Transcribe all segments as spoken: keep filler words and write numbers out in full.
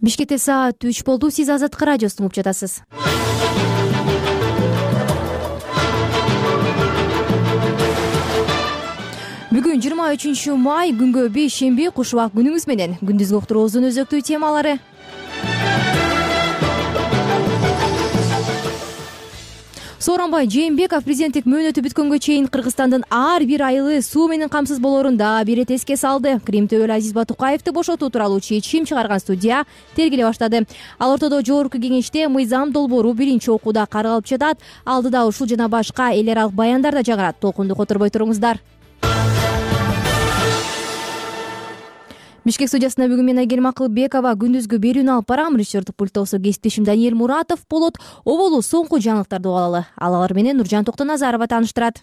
Бишкекте саат үч болду. Сиз Азаттык радиосун угуп жатасыз. Бүгүн жыйырма үчүнчү май, күнгө беш шемби, куш убак күнүңүз менен. Күндүзгү уктуруубуздун өзөктүү темалары. Сооронбай Жээнбеков президенттик мөөнөтү бүткөнгө чейин Кыргызстандын ар бир айылы суу менен камсыз болоорун дагы бир ирет эске салды. Крим төбөл Азиз Батукаевди бошотуу тууралуу чечим чыгарган судья тергеле баштады. Ал ортодо жогорку кеңеште мыйзам долбоору биринчи окууда каралып жатат. Алдыда ушул жана башка эл аралык баяндар да жаңырат. Толкунду которбой туруңуздар. Бишкек судьясына бүгүн мен Айгерим Акылбекова күндүзгү берүүнү алып барам. Режиссердик пульттосу кесиптешим Даниэль Муратов болот. Оболу соңку жаңылыктарды угуп алалы. Ал алар менен Нуржан Токтоназарова тааныштырат.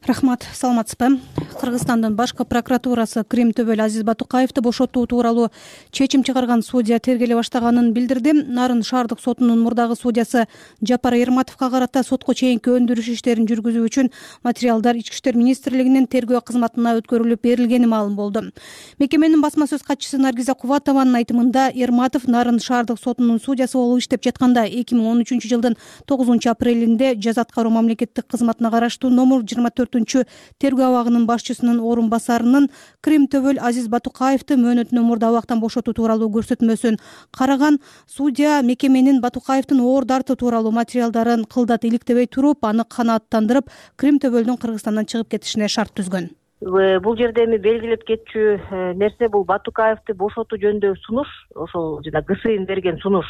Рахмат, саламатсызбы? Кыргызстандын башкы прокуратурасы Крим төбөл Азиз Батукаевди бошотуу тууралуу чечим чыгарган судья тергеле баштаганын билдирди. Нарын шаардык сотунун мурдагы судьясы Жапар Эрматовго карата сотко чейинки өндүрүш иштерин жүргүзүү үчүн материалдар Ички иштер министрлигинин тергөө кызматына өткөрүлүп берилгени маалым болду. Мекеменин басма сөз катчысы Наргиза Кубатованын айтымында Эрматов Нарын шаардык сотунун судьясы болуп иштеп жатканда эки миң он үчүнчү жылдын тогузунчу апрелинде жаза аткаруу мамлекеттик кызматына караштуу номер жыйырма төртүнчү тергөө абагынын башчысынын орун басарынын Крим төбөл Азиз Батукаевди мөөнөтүнөн мурда абактан бошотуу тууралуу көрсөтмөсүн караган. Судья мекеменин Батукаевдин оор дартуу тууралуу материалдарын кылдат иликтебей туруп, аны канааттандырып, Крим төбөлдүн Кыргызстандан чыгып кетишине шарт түзгөн. Бул жерде эми белгилеп кетчү нерсе бул Батукаевди бошотуу жөнүндө сунуш, ошол жана ГСИН берген сунуш.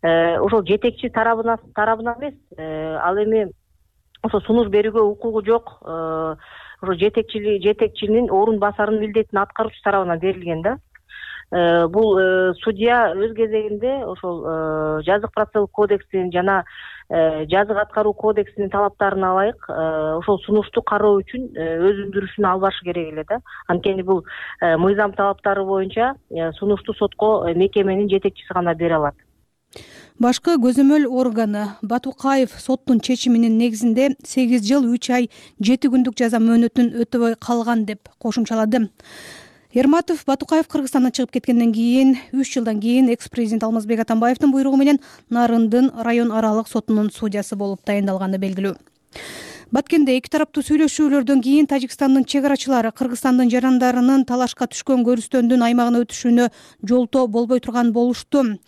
Ошол жетекчи тарабына тарабына эмес, ал эми ошо сунуш берүүгө укугу жок, ошо жетекчили жетекчинин орун басарынын милдетин аткаруучу тарабынан берилген да. Бул судья өз кезегинде ошол жазык процессуалдык кодекстин жана жазык аткаруу кодексинин талаптарына ылайык ошол сунушту кароо үчүн өз өндүрүшүн алып барышы керек эле да. Анткени бул мыйзам талаптары боюнча сунушту сотко мекеменин жетекчиси гана бере алат. Башкы көзөмөл органы Батукаев соттун чечиминин негизинде сегиз жыл үч ай жети күндүк жаза мөөнөтүн өтөбөй калган деп кошумчалады. Эрматов Батукаев Кыргызстандан чыгып кеткенден кийин үч жылдан кийин экс-президент Алмазбек Атамбаевдин буйругу менен Нарындын район аралык сотунун судьясы болуп тайындалганы белгилүү. Баткенде эки тараптуу сүйлөшүүлөрдөн кийин Тажикстандын чек арачылары Кыргызстандын жарандарынын талашка түшкөн көрүстөндүн аймагына өтүшүнө жолтоо болбой турган болушту.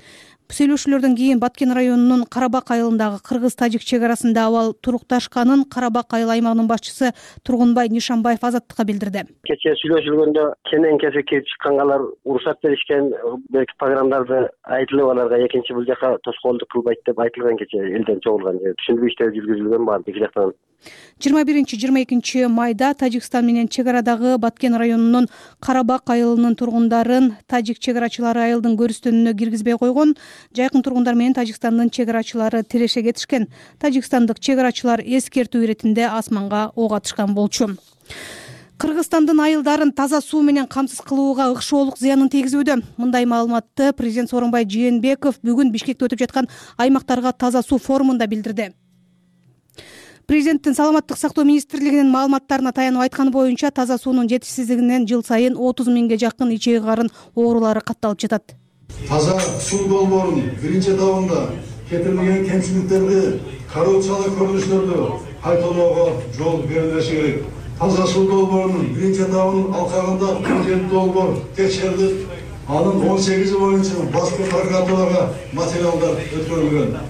Сүйлөшүүлөрдөн кийин Баткен районунун Карабак айылындагы кыргыз-тажик чек арасында абал турукташканын Карабак айыл аймагынын башчысы Тургунбай Нишанбаев Азаттыкка билдирди. Кечээ сүйлөшүлгөндө кенен кесе келип чыккангалар уруксат беришкен, берки программаларды айтылып аларга экинчи бул жака тоскоолдук кылбайт деп айтылган. Кечээ элден чогулган түшүндүрүү иштери жүргүзүлгөн баары эки жактан. жыйырма биринчи жыйырма экинчи майда Тажикстан менен чек арадагы Баткен районунун Карабак айылынын тургундарын тажик чек арачылары айылдын көрүстөнүнө киргизбей койгон. Жайкын тургундар менен Тажикстандын чек арачылары тиреше кетишкен. Тажикстандык чек арачылар эскертүү иретинде асманга ок атышкан болчу. Кыргызстандын айылдарын таза суу менен камсыз кылууга ыкшоолук зыянын тийгизүүдө. Мындай маалыматты президент Сооронбай Жээнбеков бүгүн Бишкекте өтүп жаткан аймактарга таза суу форумунда билдирди. Президенттин саламаттык сактоо министрлигинин маалыматтарына таянып айтканы боюнча таза суунун жетишсиздигинен жыл сайын отуз миңге жакын ичеги карын оорулары катталып жатат. Таза суу долбоорун биринчи этабында кетирилген кемчиликтерди, коррупциялык көрүнүштөрдү кайталоого жол берилиши керек. Таза суу долбоорунун биринчи этабынын алкагында кырк жети долбоор текшерилип, анын он сегизи боюнча башкы прокуратурага материалдар өткөрүлгөн.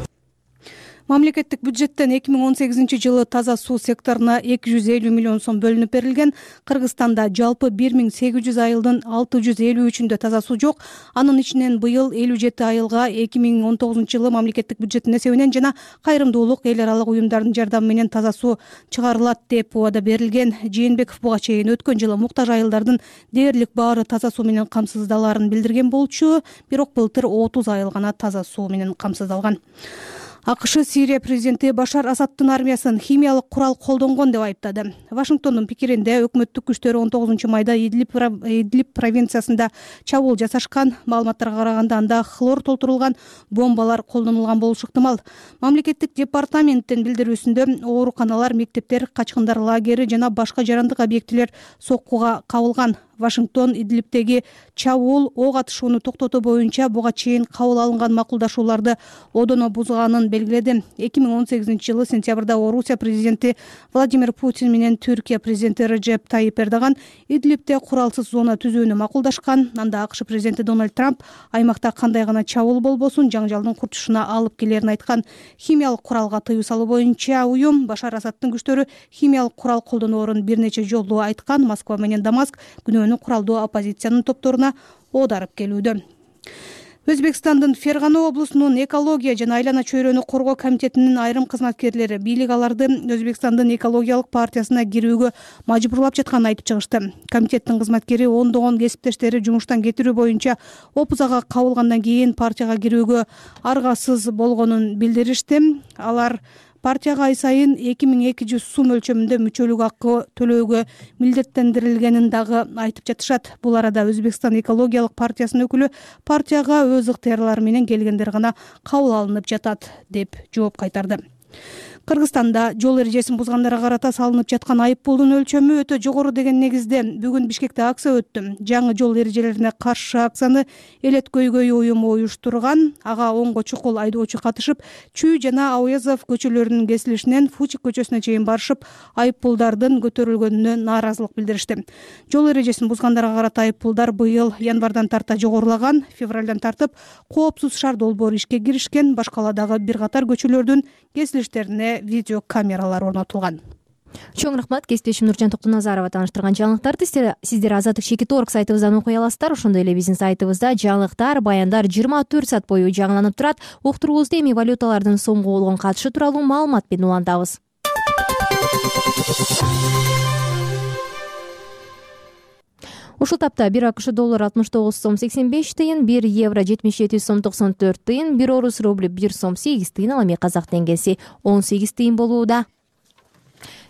Мамлекеттик бюджеттен эки миң он сегизинчи жылы таза суу секторуна эки жүз элүү миллион сом бөлүнүп берилген. Кыргызстанда жалпы бир миң сегиз жүз айылдын алты жүз элүү үчүндө таза суу жок. Анын ичинен быйыл элүү жети айылга эки миң он тогузунчу жылы мамлекеттик бюджеттин эсебинен жана кайрымдуулук эл аралык уюмдардын жардамы менен таза суу чыгарылат деп убада берилген. Жээнбеков буга чейин өткөн жылы муктаж айылдардын дээрлик баары таза суу менен камсыздалаарын билдирген болчу. Бирок былтыр отуз айыл гана таза суу менен камсыздалган. АКШ Сирия президенти Башар Асаддын армиясын химиялык курал колдонгон деп айыптады. Вашингтондун пикиринде өкмөттүк күчтөр он тогузунчу майда Идлиб провинциясында чабуул жасашкан. Маалыматтарга караганда анда хлор толтурулган бомбалар колдонулган болушу ыктымал. Мамлекеттик департаменттин билдирүүсүндө ооруканалар, мектептер, качкындар лагери жана башка жарандык объектилер соккуга кабылган. Вашингтон Идлибтеги чабуул ок атышууну токтотуу боюнча буга чейин кабыл алынган макулдашууларды одоно бузганын белгиледи. эки миң он сегизинчи жылы сентябрда Орусия президенти Владимир Путин менен Түркия президенти Реджеп Тайип Эрдоган Идлибте куралсыз зона түзүүнү макулдашкан. Анда АКШ президенти Дональд Трамп аймакта кандай гана чабуул болбосун жаңжалдын курчушуна алып келерин айткан. Химиялык куралга тыюу салуу боюнча уюм Башар Асадтын күчтөрү химиялык курал колдоноорун бир нече жолу айткан. Москва менен Дамаск күнөөнү куралдуу оппозициянын топторуна оодарып келүүдө. Өзбекстандын Фергана облусунун экология жана айлана чөйрөнү коргоо комитетинин айрым кызматкерлери бийлик аларды Өзбекстандын экологиялык партиясына кирүүгө мажбурлап жатканын айтып чыгышты. Комитеттин кызматкери ондогон кесиптештери жумуштан кетирүү боюнча опузага кабылгандан кийин партияга кирүүгө аргасыз болгонун билдиришти. Алар партияга ай сайын эки миң эки жүз сум өлчөмүндө мүчөлүк акы төлөөгө милдеттендирилгенин дагы айтып жатышат. Бул арада Өзбекстан экологиялык партиясынын өкүлү партияга өз ыктыярлары менен келгендер гана кабыл алынып жатат деп жооп кайтарды. Кыргызстанда жол эрежесин бузгандарга карата салынып жаткан айыппулдун өлчөмү өтө жогору деген негизде бүгүн Бишкекте акция өттү. Жаңы жол эрежелерине каршы акцияны Элет көйгөй уюму уюштурган. Ага онго чукул айдоочу катышып, Чүй жана Ауязов көчөлөрүнүн кесилишинен Фучик көчөсүнө чейин барышып, айыппулдардын көтөрүлгөнүнө нааразылык билдиришти. Жол эрежесин бузгандарга карата айыппулдар быйыл январдан тарта жогорулаган. Февралдан тартып коопсуз шаар долбоору ишке киришкен. Башкаладагы бир катар көчөлөрдүн кесилиштерине видео камералар орнотулган. Чоң рахмат. Кесиптешим Нуржан Токтоназарова тааныштырган жаңылыктарды сиздер Азаттык чекит точка орг сайтыбыздан окуй аласыздар. Ошондой эле биздин сайтыбызда жаңылыктар, баяндар жыйырма төрт саат бою жаңыланып турат. Уктуруубузда эми валюталардын сомго болгон катышы тууралуу маалымат менен улантабыз. Ушул тапта бир АКШ доллары алтымыш тогуз сом сексен беш тыйын, бир евро жетимиш жети сом токсон төрт тыйын, бир орус рубль бир сом сегиз тыйын, ал эми казак теңгеси он сегиз тыйын болууда.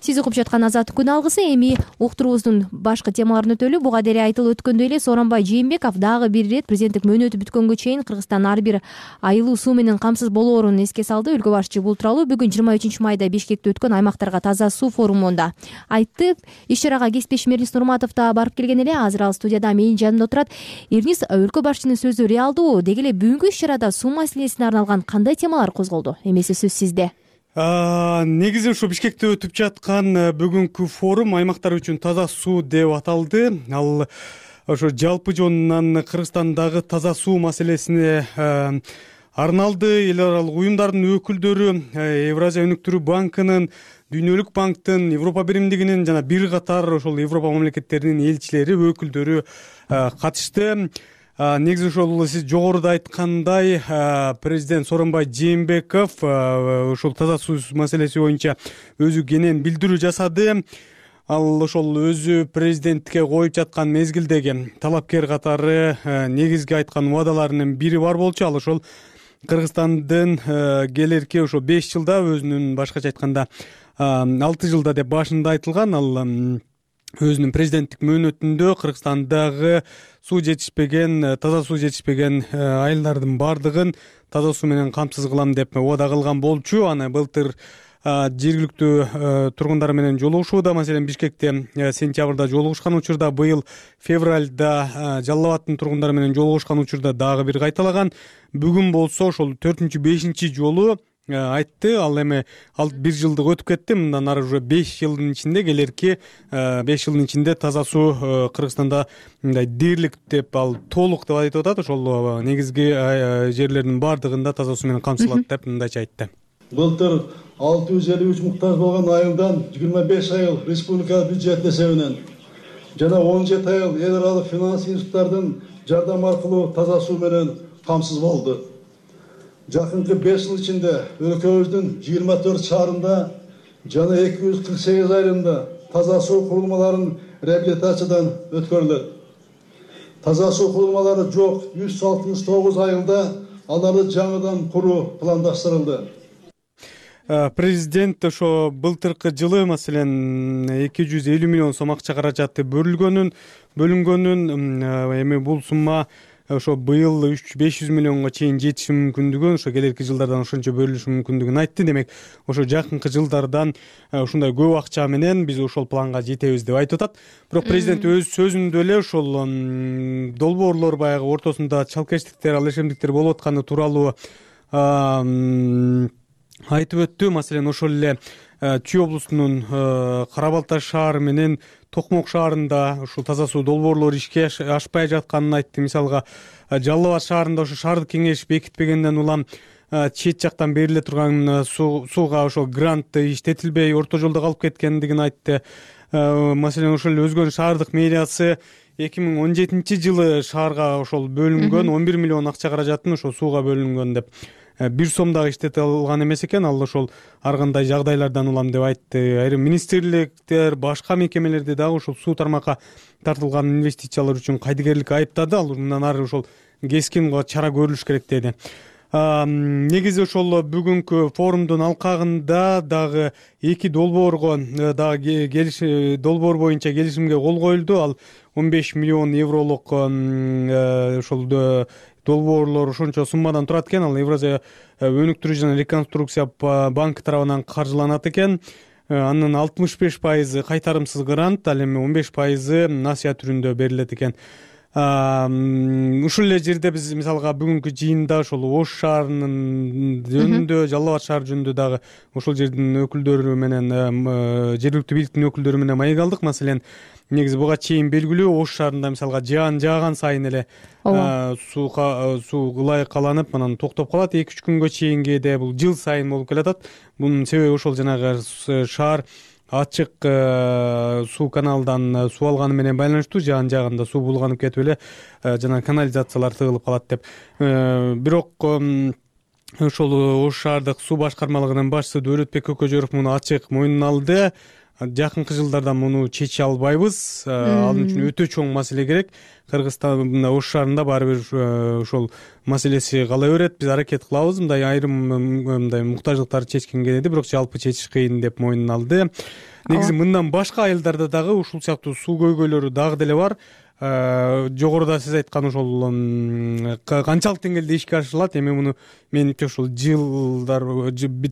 Сиз угуп жаткан Азаттык күн алгысы. Эми уктуруубуздун башкы темаларын өтөлү. Буга деле айтылып өткөндөй эле Сооронбай Жээнбеков дагы бир ирет президенттик мөөнөтү бүткөнгө чейин Кыргызстан ар бир айылуу суу менен камсыз болоорун эске салды. Өлкө башчы бул тууралуу бүгүн жыйырма үчүнчү майда Бишкекте өткөн аймактарга таза суу форумунда айтты. Иш чарага кесиптешим Эрнис Нурматов да барып келген эле. Азыр ал студияда менин жанымда отурат. Эрнис, өлкө башчынын сөзү реалдуу. Деги эле бүгүнкү иш чарада суу маселесине арналган кандай темалар козголду? Эмесе сөз сизде. Негизи ушу Бишкекте өтүп жаткан бүгүнкү форум аймактар үчүн таза суу деп аталды. Ал ошо жалпы жонунан Кыргызстандагы таза суу маселесине арналды. Эл аралык уюмдардын өкүлдөрү, Евразия өнүктүрүү банкынын, Дүйнөлүк банктын, Европа биримдигинин жана бир катар ошол Европа мамлекеттеринин элчилери, өкүлдөрү катышты. Негизи ошол сиз жогоруда айткандай, президент Сооронбай Жээнбеков ошол таза суу маселеси боюнча өзү кенен билдирүү жасады. Ал ошол өзү президенттикке коюп жаткан мезгилдеги талапкер катары негизги айткан убадаларынын бири бар болчу. Ал ошол Кыргызстандын келерки ошо беш жылда, өзүнүн башкача айтканда алты жылда деп башында айтылган, ал өзүнүн президенттик мөөнөтүндө Кыргызстандагы суу жетишпеген, таза суу жетишпеген айылдардын бардыгын таза суу менен камсыз кылам деп убада кылган болчу. Аны былтыр жергиликтүү тургундар менен жолугушууда, маселен Бишкекте сентябрда жолугушкан учурда, быйыл февралда Жалал Абадтын тургундары менен жолугушкан учурда дагы бир кайталаган. Бүгүн болсо ошол төртүнчү бешинчи жолу айтты. Ал эми ал бир жылдык өтүп кетти. Мындан ары уже беш жылдын ичинде, келерки беш жылдын ичинде таза суу Кыргызстанда мындай дээрлик деп, ал толук деп айтып атат. Ошол негизги жерлердин бардыгында таза суу менен камсыздалат деп мындайча айтты. Былтыр алты жүз элүү үч муктаж болгон айылдан жыйырма беш айыл республика бюджет эсебинен жана он жети айыл эл аралык финанс институттардын жардам аркылуу таза суу менен камсыз болду. Жакынкы беш жыл ичинде өлкөбүздүн жыйырма төрт шаарында жана эки жүз кырк сегиз айылында таза суу курулмаларын реабилитациядан өткөрүлөт. Таза суу курулмалары жок жүз алтымыш тогуз айылда аларды жаңыдан куруу пландаштырылды. Президент ошо былтыркы жылы маселен эки жүз элүү миллион сом акча каражаты бөлүнгөнүн бөлүнгөнүн эми бул сумма ошо быйыл үч беш жүз миллионго чейин жетиши мүмкүндүгүн, ошо келерки жылдардан ошончо бөлүнүшү мүмкүндүгүн айтты. Демек ошо жакынкы жылдардан ушундай көп акча менен биз ошол планга жетебиз деп айтып атат. Бирок президент өз сөзүндө эле ошол долбоорлор баягы ортосунда чалкечтиктер, ал ишемдиктер болуп атканы тууралуу айтып өттү. Маселен, ошол эле Чүй облусунун Кара Балташ шаары менен Токмок шаарында ушул таза суу долбоорлору ишке ашпай жатканын айтты. Мисалга, Жалал Абад шаарында ошо шаардык кеңеш бекитпегенден улам чет жактан бериле турган сууга ошол грант иштетилбей орто жолдо калып кеткендигин айтты. Маселен, ошол эле Өзгөн шаардык мэриясы эки миң он жетинчи жылы шаарга ошол бөлүнгөн он бир миллион акча каражатын ошол сууга бөлүнгөн деп бир сом дагы иштете алган эмес экен. Ал ошол ар кандай жагдайлардан улам деп айтты. Айрым министрликтер, башка мекемелерди дагы ошол суу тармакка тартылган инвестициялар үчүн кайдыгерлик айыптады. Ал мындан ары ошол кескин чара көрүлүш керек деди. Негизи ошол бүгүнкү форумдун алкагында дагы эки долбоорго дагы келиш долбоор боюнча келишимге кол коюлду. Ал он беш миллион евролук ошол долбоорлор ошончо суммадан турат экен. Ал Евразия өнүктүрүү жана реконструкция банкы тарабынан каржыланат экен. Анын алтымыш беш пайызы кайтарымсыз грант, ал эми он беш пайызы насыя түрүндө берилет экен. Ушул эле жерде биз мисалга бүгүнкү жыйында ошол Ош шаарынын жөнүндө, Жалал Абад шаары жөнүндө дагы ошол жердин өкүлдөрү менен, жергиликтүү бийликтин өкүлдөрү менен маек алдык. Маселен, негизи буга чейин белгилүү, Ош шаарында мисалга жаан жааган сайын эле суу суу ылайыкаланып, анан токтоп калат. эки үч күнгө чейинге де бул жыл сайын болуп келатат. Бунун себеби ошол жанагы шаар ачык суу каналдан суу алганы менен байланыштуу. Жаан жааганда суу булганып кетип эле жана канализациялар тыгылып калат деп. Бирок ошол Ош шаардык суу башкармалыгынын башчысы Дөөлөтбек Көкөжөров муну ачык мойнуна алды. Жакынкы жылдарда муну чече албайбыз. Ал үчүн өтө чоң маселе керек. Кыргызстанда Ош шаарында баары бир ошол маселеси кала берет. Биз аракет кылабыз мындай айрым мындай муктаждыктарды чечкенге деди, бирок жалпы чечиш кыйын деп мойнуна алды. Негизи мындан башка айылдарда дагы ушул сыяктуу суу көйгөйлөрү дагы деле бар. Жогоруда сиз айткан ошол канчалык деңгээлде ишке ашырылат, эми муну менимче ошол жылдар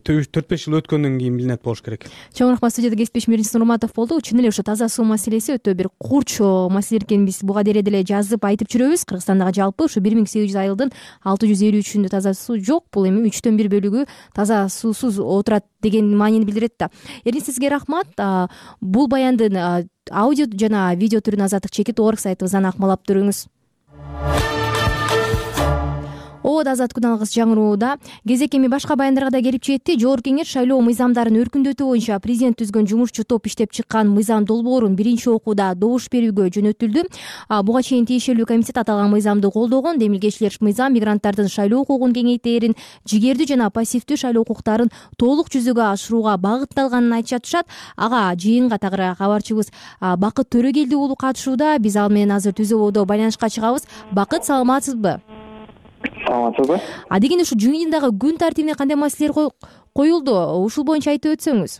төрт беш жыл өткөндөн кийин билинет болуш керек. Чоң рахмат. Студияда кесиптешим Эрдинис Нурматов болду. Чын эле ошо таза суу маселеси өтө бир курч маселе экенин биз буга дере деле жазып айтып жүрөбүз. Кыргызстандагы жалпы ушу бир миң сегиз жүз айылдын алты жүз элүү үчүндө таза суу жок. Бул эми үчтөн бир бөлүгү таза суусуз отурат деген маанини билдирет да. Эрдинис, сизге рахмат. Бул баяндын аудио жана видео түрүн азаттык чекит орг сайтыбыздан акмалап көрүңүз. Обод азат күн алгыс жаңырууда. Кезек эми башка баяндарга да келип жетти. Жогорку кеңеш шайлоо мыйзамдарын өркүндөтүү боюнча президент түзгөн жумушчу топ иштеп чыккан мыйзам долбоорун биринчи окууда добуш берүүгө жөнөтүлдү. Буга чейин тиешелүү комитет аталган мыйзамды колдогон. Демилгечилер мыйзам мигранттардын шайлоо укугун кеңейтерин, жигердүү жана пассивдүү шайлоо укуктарын толук жүзөгө ашырууга багытталганын айтып жатышат. Ага жыйынга тагыраак кабарчыбыз Бакыт Төрөгелди уулу катышууда. Биз ал менен азыр түз ободо байланышка чыгабыз. Бакыт, саламатсызбы? Саламатсызбы? А деген ушу жыйындагы күн тартибине кандай маселелер коюлду? Ушул боюнча айтып өтсөңүз.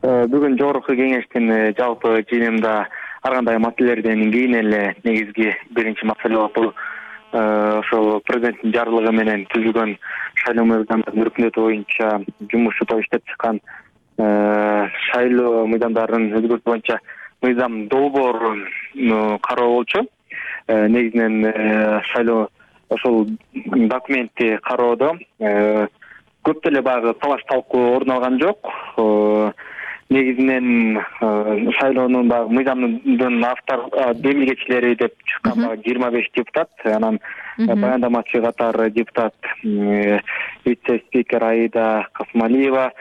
Бүгүн жогорку кеңештин жалпы жыйынында ар кандай маселелерден кийин эле негизги биринчи маселе болуп бул ошол президенттин жарлыгы менен түзүлгөн шайлоо мыйзамдарын өркүндөтүү боюнча жумушчу топ иштеп чыккан шайлоо мыйзамдарын өзгөртүү боюнча мыйзам долбоорун кароо болчу. Негизинен шайлоо ошол документти кароодо көп деле баягы талаш талкуу орун алган жок. Негизинен шайлоонун баягы мыйзамдын автор демилгечилери деп чыккан баягы жыйырма беш депутат, анан баяндамачы катары депутат вице-спикер Аида Касмалиева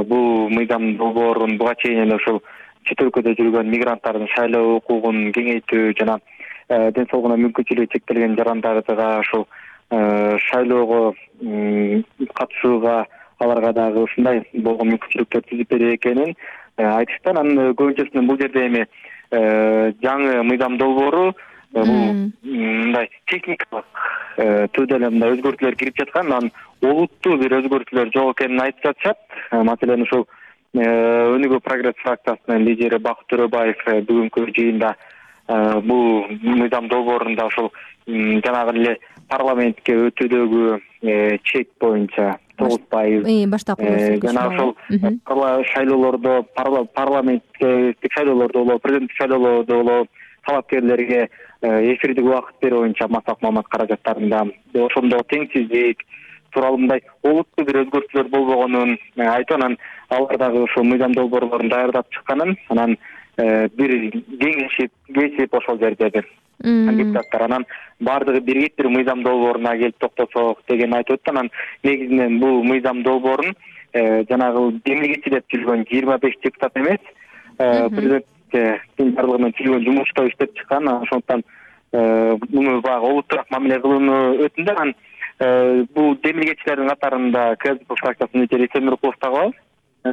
бул мыйзам долбоорун буга чейин эле ошол чет өлкөдө жүргөн мигранттардын шайлоо укугун кеңейтүү жана ден соолугуна мүмкүнчүлүгү чектелген жарандардыга ошол шайлоого катышууга аларга дагы ушундай болгон мүмкүнчүлүктөр түзүп берет экенин айтышты. Анын көбүнчөсүнөн бул жерде эми жаңы мыйзам долбоору бул мындай техникалык түрдө эле мындай өзгөртүүлөр кирип жаткан, анан олуттуу бир өзгөртүүлөр жок экенин айтып жатышат. Маселен ушул Өнүгүү прогресс фракциясынын лидери Бакыт Төрөбаев бүгүнкү жыйында бул мыйзам долбоорунда ошол жанагы эле парламентке өтүүдөгү чек боюнча тогуз пайыз баштапкы жана ошол шайлоолордо парламентке шайлоолордо болобу президенттик шайлоолордо болобу талапкерлерге эфирдик убакыт берүү боюнча массалык маалымат каражаттарында ошондо теңсиздик тууралуу мындай олуттуу бир өзгөртүүлөр болбогонун айтып, анан алар дагы ошол мыйзам долбоорлорун даярдап чыкканын, анан бир кеңешип кесип ошол жерде бир депутаттар анан баардыгы биригип бир мыйзам долбооруна келип токтосок деген айтып өттү. Анан негизинен бул мыйзам долбоорун жанагы демилгечи деп жүргөн жыйырма беш депутат эмес, президенттин барлыгы менен түзүлгөн жумуш топ иштеп чыккан. Ошондуктан муну баягы олуттуураак мамиле кылууну өтүндү. Анан бул демилгечилердин катарында КСДП фракциясынын мүчөсү Эсен Нуркулов дагы бар.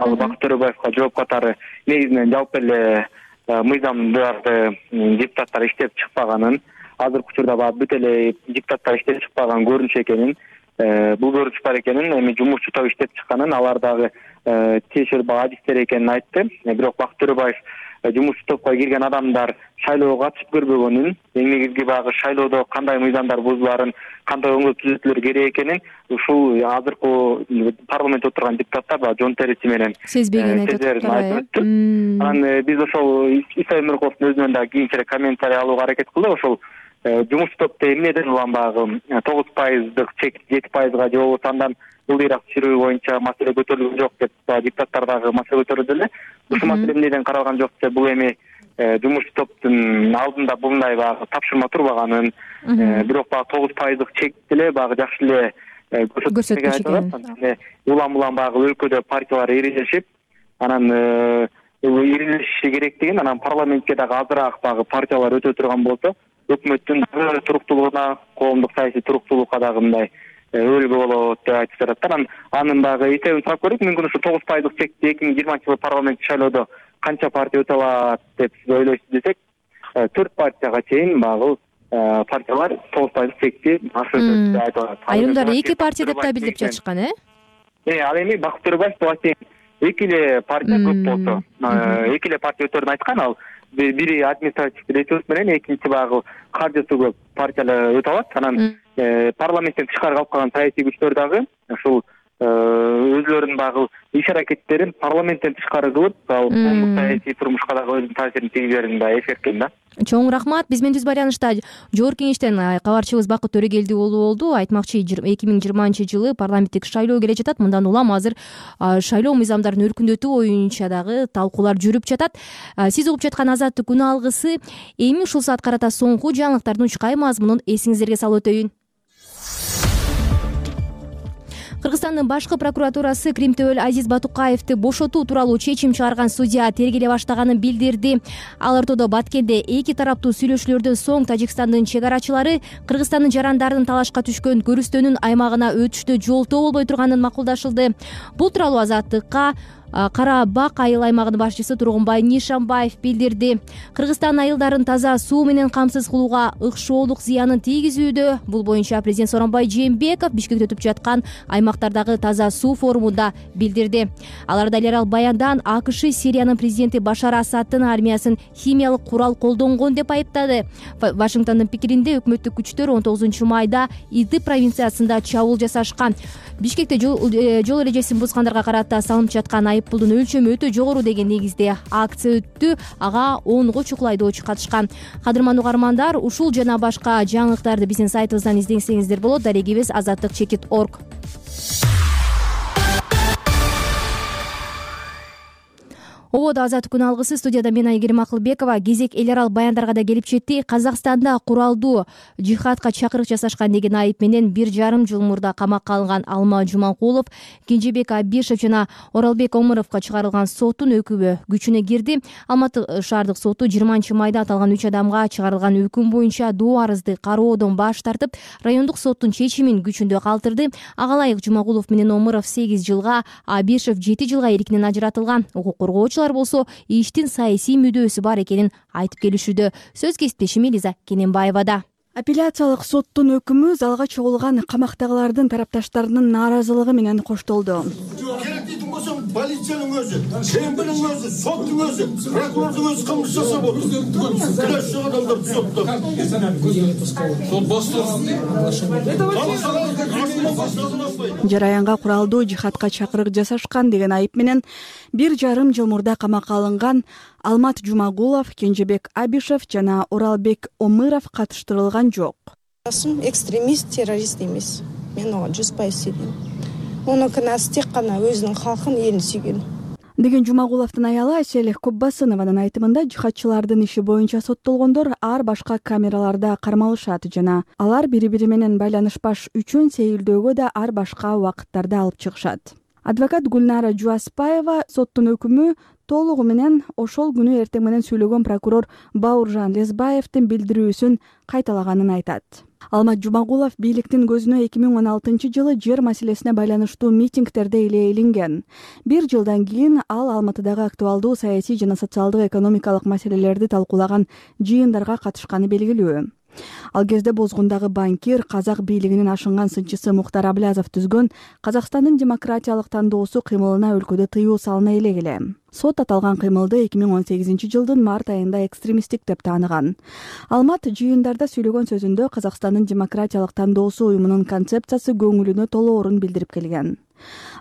Ал Бакыт Төрөбаевга жооп катары негизинен жалпы эле мыйзамдарды депутаттар иштеп чыкпаганын, азыркы учурда баягы бүт эле депутаттар иштеп чыкпаган көрүнүш экенин, бул көрүнүш бар экенин, эми жумушчу топ иштеп чыкканын, алар дагы тиешелүү багы адистер экенин айтты. Бирок Бакыт Төрөбаев жумушчу топко кирген адамдар шайлоого катышып көрбөгөнүн, эң негизги баягы шайлоодо кандай мыйзамдар бузуларын, кандай оңдоо түзөтүүлөр керек экенин ушул азыркы парламентте отурган депутаттар баягы жон териси менен сезбеген айтып өттү. Анан биз ошол Исаев Нуркуловдун өзүнөн дагы кийинчерээк комментарий алууга аракет кылдык. Ошол жумуш топто эмнеден улам баягы тогуз пайыздык чек жети пайызга же болбосо андан ылдыйраак түшүрүү боюнча маселе көтөрүлгөн жок деп депутаттар дагы маселе көтөрдү эле. Ушул маселе эмнеден каралган жок десе, бул эми жумуш топтун алдында мындай баягы тапшырма турбаганын, бирок баягы тогуз пайыздык чекти эле баягы жакшы эле көрсөткүч экенин. Улам улам баягы өлкөдө партиялар ирилешип, анан ирилешиши керектигин, анан парламентке дагы азыраак баягы партиялар өтө турган болсо, өкмөттүн туруктуулугуна, коомдук саясий туруктуулукка дагы мындай өбөлгө болот деп айтып жатат. Анан анын дагы эсебин сурап көрдүк. Мүмкүн ушу тогуз пайыздык чекти эки миң жыйырманчы жылы парламенттик шайлоодо канча партия өтө алат деп сиз ойлойсуз десек, төрт партияга чейин баягы партиялар тогуз пайыздык чекти ашырды деп айтып атат. Айрымдары эки партия деп да билдирип жатышкан, э? Э, ал эми Бакыт Төрөбаев буга чейин эки эле партия көп болсо, эки эле партия өтөрүн айткан. Ал бири административдик ресурс менен, экинчи баягы каржысы көп партиялар өтө алат. Анан парламенттен тышкары калып калган саясий күчтөр дагы ушул өзлөрүнүн баягы иш аракеттерин парламенттен тышкары кылып, коомдук саясий турмушка дагы өзүнүн таасирин тийгизерин да эскерткен да. Чоң рахмат. Биз менен түз байланышта Жогорку Кеңештен кабарчыбыз Бакыт Төрөгелди уулу болду. Айтмакчы, эки миң жыйырманчы жылы парламенттик шайлоо келе жатат. Мындан улам азыр шайлоо мыйзамдарын өркүндөтүү боюнча дагы талкуулар жүрүп жатат. Сиз угуп жаткан Азаттык күн алгысы. Эми ушул саат карата соңку жаңылыктардын учкай мазмунун эсиңиздерге салып өтөйүн. Кыргызстандын башкы прокуратурасы Крим Төбөл Азиз Батукаевди бошотуу тууралуу чечим чыгарган судья тергеле баштаганын билдирди. Ал ортодо Баткенде эки тараптуу сүйлөшүүлөрдөн соң Тажикстандын чек арачылары Кыргызстандын жарандарын талашка түшкөн көрүстөнүн аймагына өтүштө жолтоо болбой турганын макулдашылды. Бул тууралуу Азаттыкка Кара Бак айыл аймагынын башчысы Тургунбай Нишанбаев билдирди. Кыргызстан айылдарын таза суу менен камсыз кылууга ыкшоолук зыянын тийгизүүдө. Бул боюнча президент Сооронбай Жээнбеков Бишкекте өтүп жаткан аймактардагы таза суу форумунда билдирди. Аларда лерал баяндан АКШ Сириянын президенти Башар Асаддын армиясын химиялык курал колдонгон деп айыптады. Вашингтондун пикиринде өкмөттүк күчтөр он тогузунчу майда Идлиб провинциясында чабуул жасашкан. Бишкекте жол эрежесин бузгандарга карата салынып жаткан айыппулдун өлчөмү өтө жогору деген негизде акция өттү. Ага онго чукул айдоочу катышкан. Кадырман угармандар, ушул жана башка жаңылыктарды биздин сайтыбыздан издесеңиздер болот. Дарегибиз азаттык чекит точка орг. Ободо Азаттык күн алгысы, студияда мен Айгерим Акылбекова. Кезек эл аралык баяндарга да келип жетти. Казакстанда куралдуу жихадка чакырык жасашкан деген айып менен бир жарым жыл мурда камакка алынган Алма Жуманкулов, Кенжебек Абишев жана Оралбек Омуровго чыгарылган соттун өкүмү күчүнө кирди. Алматы шаардык соту жыйырманчы майда аталган үч адамга чыгарылган өкүм боюнча доо арызды кароодон баш тартып, райондук соттун чечимин күчүндө калтырды. Ага ылайык Жуманкулов менен Омуров сегиз жылга, Абишев жети жылга эркинен ажыратылган. Укук коргоочу болсо иштин саясий мүдөөсү бар экенин айтып келишүүдө. Сөз кесиптешим Элиза Кененбаевада. Апелляциялык соттун өкүмү залга чогулган камактагылардын тарапташтарынын нааразылыгы менен коштолду. Керек дейтин болсоң полициянын өзү, ШМБнын өзү, соттун өзү, прокурордун өзү кылмыш жасап отур. Күнөөсү жок адамдарды соттоп. Сол баштар. Жараянга куралдуу жихадка чакырык жасашкан деген айып менен бир жарым жыл мурда камакка алынган Алмат Жумагулов, Кенжебек Абишев жана Оралбек Омыров катыштырылган жок. Экстремист, террорист эмес. Мен ага жүз пайыз сенем. Мунун кынасы тек гана өзүнүн халкын, элин сүйгөн. Деген Жумагуловдун аялы Айселих Коббасынованын айтымында жихадчылардын иши боюнча соттолгондор ар башка камераларда кармалышат жана алар бири-бири менен байланышпаш үчүн сейилдөөгө да ар башка убакыттарда алып чыгышат. Адвокат Гүлнара Жуаспаева соттун өкүмү толугу менен ошол күнү эртең менен сүйлөгөн прокурор Бауыржан Лезбаевдин билдирүүсүн кайталаганын айтат. Алмат Жумагулов бийликтин көзүнө эки миң он алтынчы жылы жер маселесине байланыштуу митингдерде эле илинген. Бир жылдан кийин ал Алматыдагы актуалдуу саясий жана социалдык экономикалык маселелерди талкуулаган жыйындарга катышканы белгилүү. Ал кезде Бозгундагы банкир, казак бийлигинин ашынган сынчысы Мухтар Аблязов түзгөн Казакстандын демократиялык тандоосу кыймылына өлкөдө тыюу салына элек эле. Сот аталган кыймылды эки миң он сегизинчи жылдын март айында экстремисттик деп тааныган. Алмат жыйындарда сүйлөгөн сөзүндө Казакстандын демократиялык тандоосу уюмунун концепциясы көңүлүнө толоорун билдирип келген.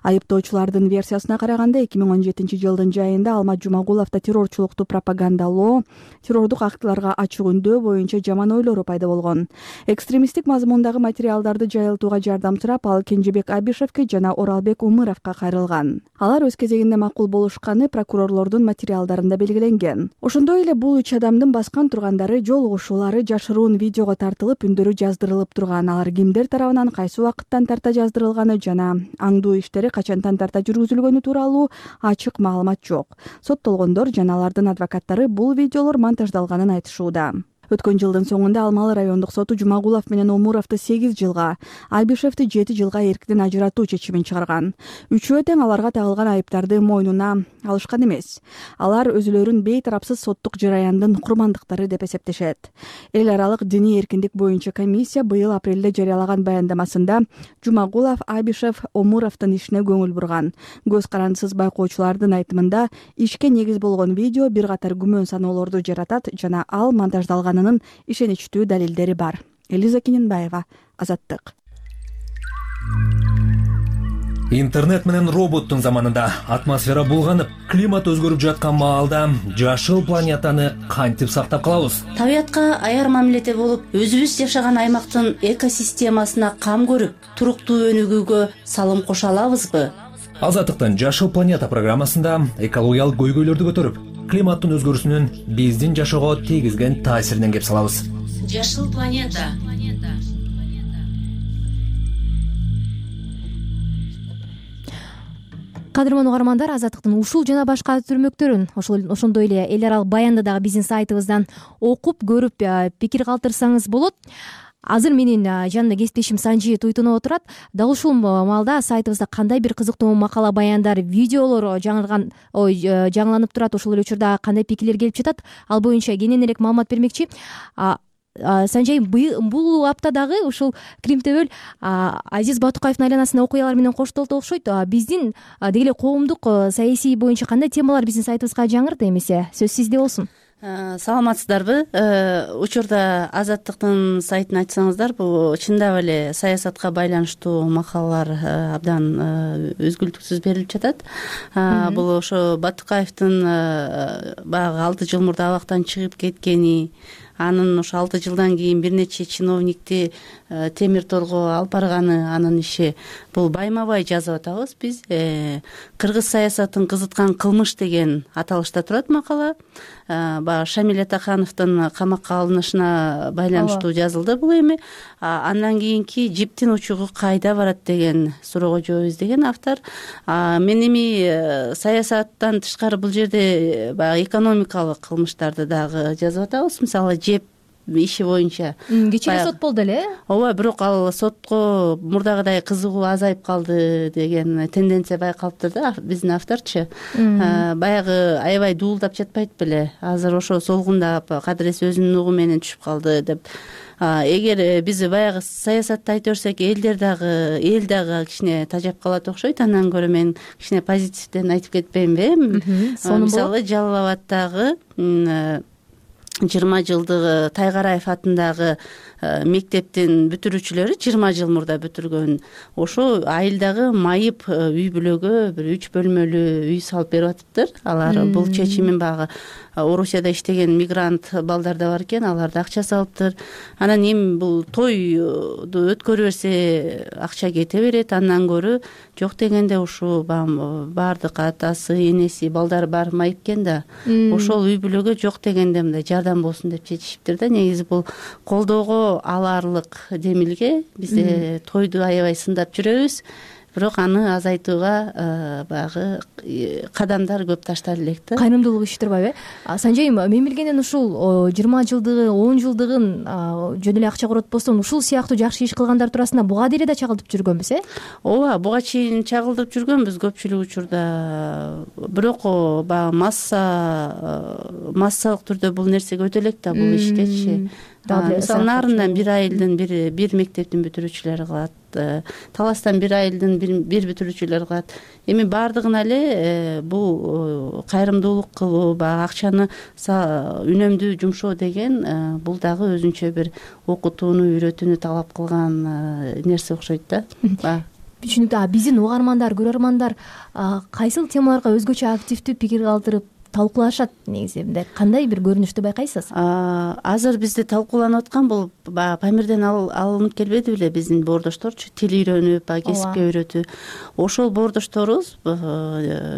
Айыптоочулардын версиясына караганда эки миң он жетинчи жылдын жайында Алмат Жумагуловдо террорчулукту пропагандалоо, террордук актыларга ачык үндөө боюнча жаман ойлору пайда болгон. Экстремисттик мазмундагы материалдарды жайылтууга жардам сурап, ал Кенжебек Абишевке жана Оралбек Омыровго кайрылган. Алар өз кезегинде макул болушканы прокурорлордун материалдарында белгиленген. Ошондой эле бул үч адамдын баскан тургандары, жолугушуулары жашыруун видеого тартылып, үндөрү жаздырылып турган. Алар кимдер тарабынан кайсы убакыттан тарта жаздырылганы жана аңдуу иштери качантан тарта жүргүзүлгөнү тууралуу ачык маалымат жок. Соттолгондор жана алардын адвокаттары бул видеолор монтаждалганын айтышууда. Өткөн жылдын соңунда Алмалы райондук соту Жумагулов менен Омуровду сегиз жылга, Абишевди жети жылга эркинен ажыратуу чечимин чыгарган. Үчөө тең аларга тагылган айыптарды мойнуна алышкан эмес. Алар өзүлөрүн бейтарапсыз соттук жараяндын курмандыктары деп эсептешет. Эл аралык диний эркиндик боюнча комиссия быйыл апрелде жарыялаган баяндамасында Жумагулов, Абишев, Омуровдун ишине көңүл бурган. Көз карандысыз байкоочулардын айтымында ишке негиз болгон видео бир катар күмөн саноолорду жаратат жана ал монтаждалган ишеничтүү далилдери бар. Элиза Киненбаева, Азаттык. Интернет менен роботтун заманында атмосфера булганып, климат өзгөрүп жаткан маалда жашыл планетаны кантип сактап калабыз? Табиятка аяр мамиледе болуп, өзүбүз жашаган аймактын экосистемасына кам көрүп, туруктуу өнүгүүгө салым кошо алабызбы? Азаттыктын Жашыл планета программасында экологиялык көйгөйлөрдү көтөрүп, климаттын өзгөрүүсүнүн биздин жашоого тийгизген таасиринен кеп салабыз. Жашыл планета. Кадырман угармандар, Азаттыктын ушул жана башка түрмөктөрүн ошондой эле эл аралык баянды дагы биздин сайтыбыздан окуп көрүп пикир калтырсаңыз болот. Азыр менин жанында кесиптешим Санжи Туйтунов отурат. Дал ушул маалда сайтыбызда кандай бир кызыктуу макала, баяндар, видеолор жаңырган, ой, жаңыланып турат, ошол эле учурда кандай пикирлер келип жатат, ал боюнча кененирээк маалымат бермекчи. Санжай, бул аптадагы ушул Крим Төбөл Азиз Батукаевдин айланасында окуялар менен коштолду окшойт. Биздин деги эле коомдук саясий боюнча кандай темалар биздин сайтыбызга жаңырды эмесе? Сөз сизде болсун. Саламатсыздарбы? Учурда Азаттыктын сайтын ачсаңыздар, бул чындап эле саясатка байланыштуу макалалар абдан өзгүлтүксүз берилип жатат. Бул ошо Батукаевдин баягы алты жыл мурда абактан чыгып кеткени, анын ошо алты жылдан кийин бир нече чиновникти темир торго алып барганы, анын иши. Бул байма-бай жазып атабыз биз. Кыргыз саясатын кызыткан кылмыш деген аталышта турат макала. Баягы Шамиль Атахановдун камакка алынышына байланыштуу жазылды бул эми. Андан кийинки жиптин учугу кайда барат деген суроого жооп издеген автор. Мен эми саясаттан тышкары бул жерде баягы экономикалык кылмыштарды дагы жазып атабыз. Мисалы, жеп иши боюнча. Кечээ эле сот болду эле. Ооба, бирок ал сотко мурдагыдай кызыгуу азайып калды деген тенденция байкалыптыр да, биздин авторчу. Баягы аябай дуулдап жатпайт беле. Азыр ошо солгундап, кадырес өзүнүн угу менен түшүп калды деп эгер биз баягы саясатты айта берсек элдер дагы эл дагы кичине тажап калат окшойт. Андан көрө мен кичине позитивден айтып кетпейинби? Мисалы Жалал Абаддагы жыйырма жылдыгы Тайгараев атындагы мектептин бүтүрүүчүлөрү жыйырма жыл мурда бүтүргөн. Ошо айылдагы майып үй бүлөгө бир үч бөлмөлүү үй салып берип атыптыр. Алар бул чечимин багы Орусияда иштеген мигрант балдар да бар экен, аларды акча салыптыр. Анан эми бул тойду өткөрө берсе акча кете берет. Андан көрө жок дегенде ушу баардык атасы, энеси, балдары баары майып экен да. Ошол үй бүлөгө жок дегенде мындай жардам болсун деп чечишиптир да. Негизи бул колдоого аларлык демилге. Бизде тойду аябай сындап жүрөбүз. Бирок аны азайтууга баягы кадамдар көп таштала элек да. Кайрымдуулук иш турбайбы? Санжайым, мен билгенден ушул жыйырма жылдыгы, он жылдыгын жөн эле акча коротпостон ушул сыяктуу жакшы иш кылгандар туурасында буга дейре да чагылтып жүргөнбүз, э? Ооба, буга чейин чагылтып жүргөнбүз көпчүлүк учурда. Бирок баягы масса массалык түрдө бул нерсеге өтө элек да бул иштечи. Мисалы Нарындан бир айылдын бир бир мектептин бүтүрүүчүлөрү кылат. Таластан бир айылдын бир бүтүрүүчүлөрү кылат. Эми баардыгына эле бул кайрымдуулук кылуу, баягы акчаны үнөмдүү жумшоо деген бул дагы өзүнчө бир окутууну, үйрөтүүнү талап кылган нерсе окшойт да. Түшүнүктүү. Биздин угармандар, көрөрмандар кайсыл темаларга өзгөчө активдүү пикир калтырып талкуулашат негизи? Мындай кандай бир көрүнүштү байкайсыз? Азыр бизде талкууланып аткан бул баягы Памирден алынып келбеди беле биздин боордошторчу, тил үйрөнүп, кесипке үйрөтүү. Ошол боордошторубуз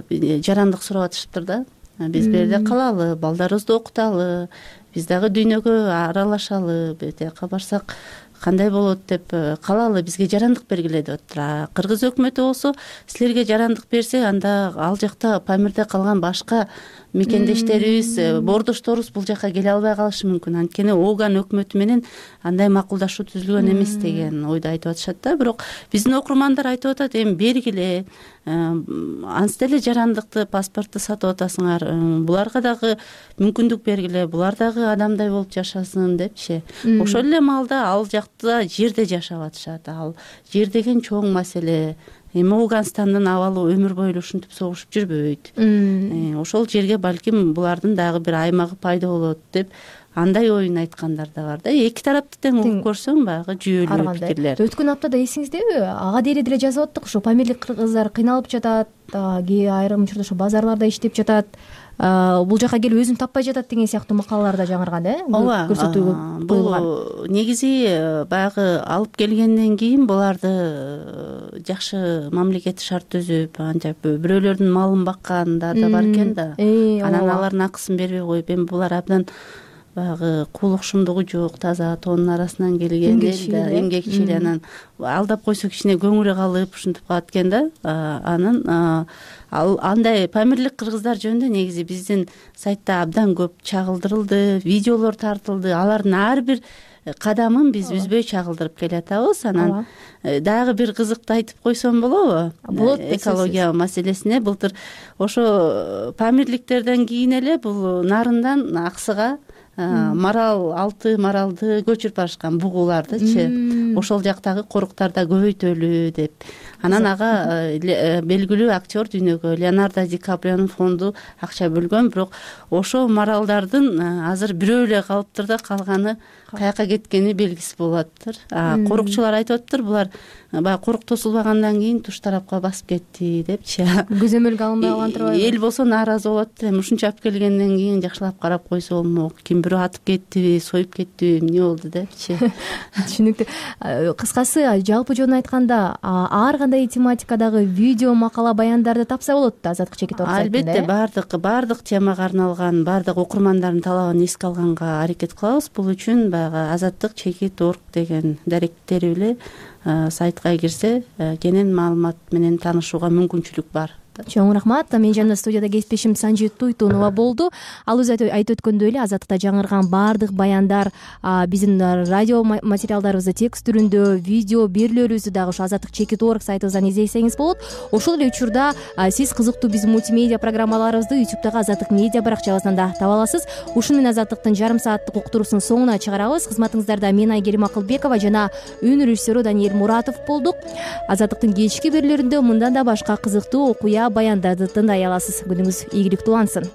жарандык сурап атышыптыр да. Биз бул жерде калалы, балдарыбызды окуталы, биз дагы дүйнөгө аралашалы, бет жака барсак кандай болот деп калалы, бизге жарандык бергиле деп атыптыр. Кыргыз өкмөтү болсо силерге жарандык берсе, анда ал жакта Памирде калган башка мекендештерибиз, боордошторубуз бул жака келе албай калышы мүмкүн. Анткени Оган өкмөтү менен андай макулдашуу түзүлгөн эмес деген ойду айтып атышат да. Бирок биздин окурмандар айтып атат, эми бергиле, анс деле жарандыкты, паспортту сатып атасыңар, буларга дагы мүмкүндүк бергиле, булар дагы адамдай болуп жашасын депчи. Ошол эле маалда ал жакта жерде жашап атышат. Ал жер деген чоң маселе. Эми Ауганстандын абалы өмүр бою ушинтип согушуп жүрбөйт. Ошол жерге балким булардын дагы бир аймагы пайда болот деп андай оюн айткандар да бар да. Эки тарапты тең угуп көрсөң баягы жүйөлүү пикирлер. Өткөн аптада эсиңиздеби? Ага дейре деле жазып аттык, ушу памирлик кыргыздар кыйналып жатат, айрым учурда ошо базарларда иштеп жатат, бул жака келип өзүн таппай жатат деген сыяктуу макалаларда жаңырган, э? Ооба, көрсөтүүгө бул негизи баягы алып келгенден кийин буларды жакшы мамлекеттик шарт түзүп, антип бирөөлөрдүн малын баккандар да бар экен да. Анан алардын акысын бербей коюп, эми булар абдан баягы куулукшумдугу жок, таза тоонун арасынан келген да, эмгекчил, анан алдап койсо кичине көңүрү калып ушинтип калат экен да. Анан ал андай памирлик кыргыздар жөнүндө негизи биздин сайтта абдан көп чагылдырылды, видеолор тартылды. Алардын ар бир кадамын биз үзбөй чагылдырып келатабыз. Анан дагы бир кызыктуу айтып койсом болобу? Болот. Экология маселесине былтыр ошо памирликтерден кийин эле бул Нарындан Аксыга марал, алты маралды көчүрүп барышкан, бугулардычы. Ошол жактагы коруктарда көбөйтөлү деп. Анан ага белгилүү актер дүйнөгө Леонардо Ди Каприонун фонду акча бөлгөн, бирок ошол маралдардын азыр бирөө эле калыптыр да, калганы каяка кеткени белгисиз болуп атыптыр. Корукчулар айтып атыптыр, булар баягы корук тосулбагандан кийин туш тарапка басып кетти депчи. Көзөмөлгө алынбай калган турбайбы? Эл болсо нааразы болуп атыптыр. Эми ушунча алып келгенден кийин жакшылап карап койсо болмок, ким бирөө атып кеттиби, союп кеттиби, эмне болду депчи. Түшүнүктүү. Кыскасы, жалпы жөнүн айтканда, ар кандай тематикадагы видео, макала, баяндарды тапса болот да Азаттык чекит орг сайтында. Албетте, баардык баардык темага арналган, баардык окурмандардын талабын эске алганга аракет кылабыз. Бул үчүн баягы Азаттык чекит орг деген даректери эле сайтка кирсе, кенен маалымат менен таанышууга мүмкүнчүлүк бар. чоң рахмат. Менин жанымда студияда кесиптешим Санжи Туйтунова болду. Ал өзү айтып өткөндөй эле Азаттыкта жаңырган баардык баяндар биздин радио материалдарыбызды текст түрүндө, видео берүүлөрүбүздү дагы ушу азаттык чекит точка орг сайтыбыздан излесеңиз болот. Ошол эле учурда сиз кызыктуу биздин мультимедиа программаларыбызды ютубтагы Азаттык медиа баракчабыздан да таба аласыз. Ушуну менен Азаттыктын жарым сааттык уктуруусунун соңуна чыгарабыз. Кызматыңыздарда мен Айгерим Акылбекова жана үн режиссеру Даниэль Муратов болдук. Азаттыктын кечки берүүлөрүндө мындан да башка кызыктуу окуя баяндарды тыңдай аласыз. Күнүңүз ийгиликтүү улансын.